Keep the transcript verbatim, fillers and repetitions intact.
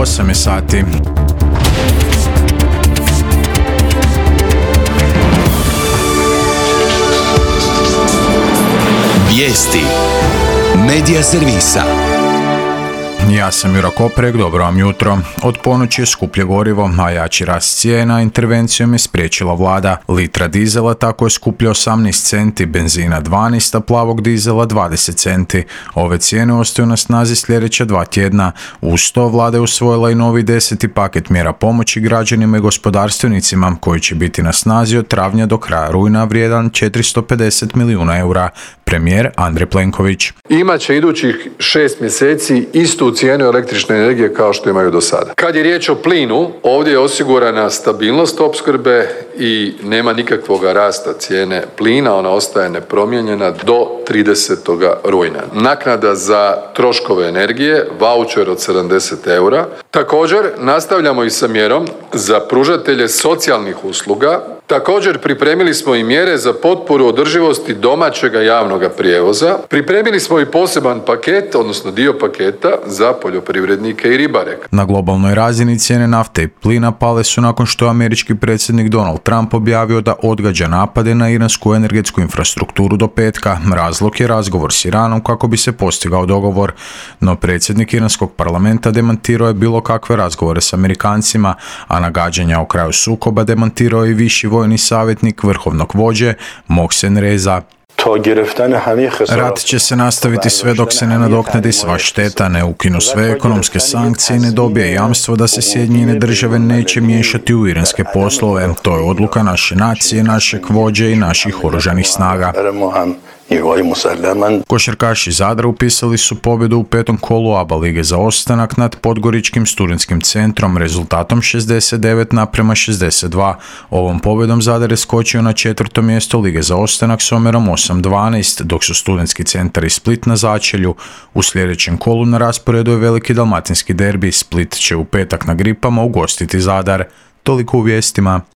osam je sati. Vijesti Medija servisa. Ja sam Jura Koprek, dobro vam jutro. Od ponoći je skuplje gorivo, a jači rast cijena intervencijom je spriječila vlada. Litra dizela tako je skuplja osamnaest centi, benzina dvanaest, a plavog dizela dvadeset centi. Ove cijene ostaju na snazi sljedeća dva tjedna. Uz to vlada je usvojila i novi deseti paket mjera pomoći građanima i gospodarstvenicima, koji će biti na snazi od travnja do kraja rujna, vrijedan četiristo pedeset milijuna eura. Premijer Andrej Plenković. Imaće idućih šest mjeseci istu cijenu električne energije kao što imaju do sada. Kad je riječ o plinu, ovdje je osigurana stabilnost opskrbe i nema nikakvog rasta cijene plina, ona ostaje nepromijenjena do tridesetog rujna. Naknada za troškove energije, vaučer od sedamdeset eura. Također nastavljamo i sa mjerom za pružatelje socijalnih usluga. Također pripremili smo i mjere za potporu održivosti domaćega javnog prijevoza. Pripremili smo i poseban paket, odnosno dio paketa za poljoprivrednike i ribare. Na globalnoj razini cijene nafte i plina pale su nakon što je američki predsjednik Donald Trump objavio da odgađa napade na iransku energetsku infrastrukturu do petka. Razlog je razgovor s Iranom kako bi se postigao dogovor. No predsjednik iranskog parlamenta demantirao je bilo kakve razgovore s Amerikancima, a nagađanja o kraju sukoba demantirao je i viši vojni savjetnik vrhovnog vođe Mohsen Reza. Rat će se nastaviti sve dok se ne nadoknadi sva šteta, ne ukinu sve ekonomske sankcije i ne dobije jamstvo da se Sjedinjene države neće miješati u iranske poslove. To je odluka naše nacije, našeg vođe i naših oružanih snaga. Košarkaši Zadra upisali su pobjedu u petom kolu A B A lige za ostanak nad Podgoričkim studentskim centrom rezultatom šezdeset devet naprema šezdeset dva. Ovom pobjedom Zadar je skočio na četvrto mjesto lige za ostanak s omjerom osam dvanaest, dok su studentski centar i Split na začelju. U sljedećem kolu na rasporedu je veliki dalmatinski derbi. Split će u petak na Gripama ugostiti Zadar. Toliko u vijestima.